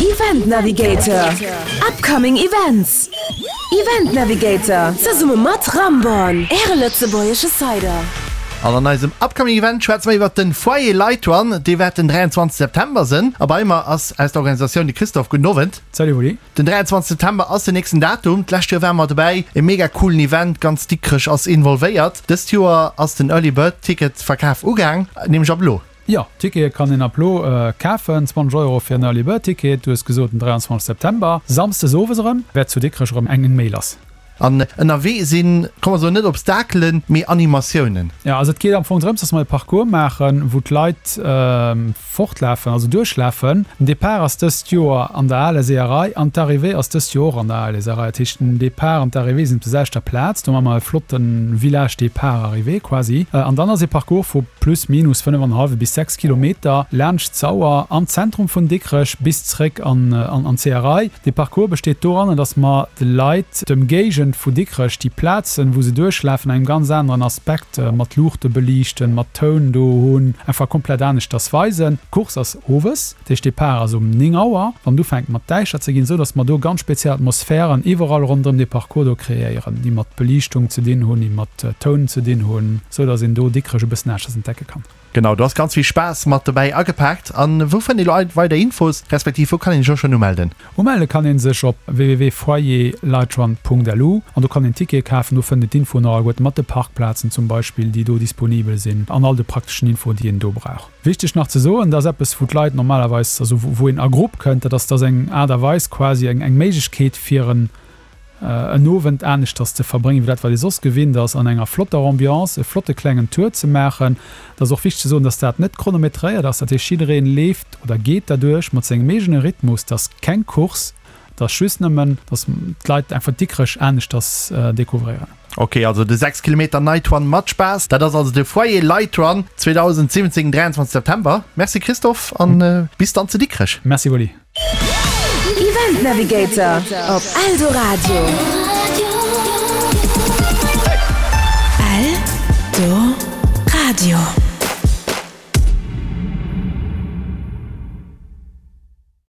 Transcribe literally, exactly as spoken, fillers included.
Event Navigator, Upcoming Events. Event Navigator, zesumme mat Ramborn, Äre lëtzebuergesche Cider. An an eisem Upcoming Event schwätze mer iwwert den Foyer Light Run, dee wäert den dräianzwanzeg September sinn. A bei mer ass aus der Organisatioun de Christophe. Gudden Owend. Salut Wally. Den dräianzwanzeg September ass den nächsten Datum. D'lescht Joer ware mer dobäi, e mega coolen Event, ganz Dikrech ass involvéiert. Dëst Joer ass den Early Bird Ticket Verkaf ugaang, nämlech ab elo. Jo, Tickete kann een ab elo kafen, zwanzeg Euro fir en Early Bird Ticket. Du hues gesot den dräianzwanzeg September, Samsdes owes erëm, wäert zu Dikrech erëm eng méi lass. An ënnerwee sinn, komm mer soen, net Obstakelen, mee Animatiounen. Jo, also et geet am Fong drëms, dass mer e Parcours maachen, wou d'Leit fortlafen, also duerchlafen. Den Depart ass dëst Joer an der Aler Seeërei an d'Arrivée ass dëst Joer och an der Aler Seeërei. Dat heescht, den Depart an d'Arrivée sinn op der selwechter Plaz. Do maache mer e flotte Village Départ-Arrivée quasi. An dann ass e Parcours vu plus minus fënnef an e hallwe bis sechs Kilometer laanscht d'Sauer am Zentrum vun Dikrech bis zréck an d'Seeërei. Dee Parcours besteet doranner, dass mer de Leit d'Ëmgéigend vu Dikrech, déi Plazen, wou se duerchlafen, an engem ganz aneren Aspekt, mat Luuchte beliichten, mat Toun do hunn, einfach komplett aneschters weisen. D'Course ass owes, dat heescht Depart ass um néng Auer, wann et ufänkt mat däischter ze ginn, esou dass mer do ganz speziell Atmosphären iwwerall ronderëm dee Parcours do kreéieren, déi mat Beliichtung ze dinn hunn, déi mat Toun ze dinn hunn, esou dass een do Dikrech e bëssen aneschters entdecke kann. Genau, do ass ganz vill Spaass mat dobäi agepaakt. An wou fënnt ee lo weider Infos, respektiv wou kann een sech och schonn umelden? Umelle kann een sech op www.foyerlightrun.lu an do kann een Tickete kafen. Do fënnt een d'Infoen och alleguerten mat de Parkplazen zum Beispill, déi do disponibel sinn an all de prakteschen Infoen, déi een do brauch. Wichteg nach ze soen, dat ass eppes wou d'Leit normalerweis, also wou een a Grupp kënnt, dat ass, dat ass eng Aart a Weis quasi eng Méiglechkeet fir en en Owend aneschters ze verbréngen, wéi dat, wat ee soss gewinnt ass, an enger flotter Ambiance e flotte klengen Tour ze maachen. Et ass och wichteg ze soen, dass dat net chronometréiert ass, dat heescht, jiddereen leeft oder geet derduerch mat sengem eegene Rhythmus. Et ass keng Course, et ass just nëmmen, dass d'Leit einfach Dikrech aneschters découvréieren. Ok, also de sechs Kilometer Night Run mat Spaass, dat ass also de Foyer Light Run zweedausendsiwwenzéng, dräianzwanzeg September. Merci Christophe an bis dann zu Dikrech. Merci Wally. Event Navigator op Eldoradio. Eldoradio.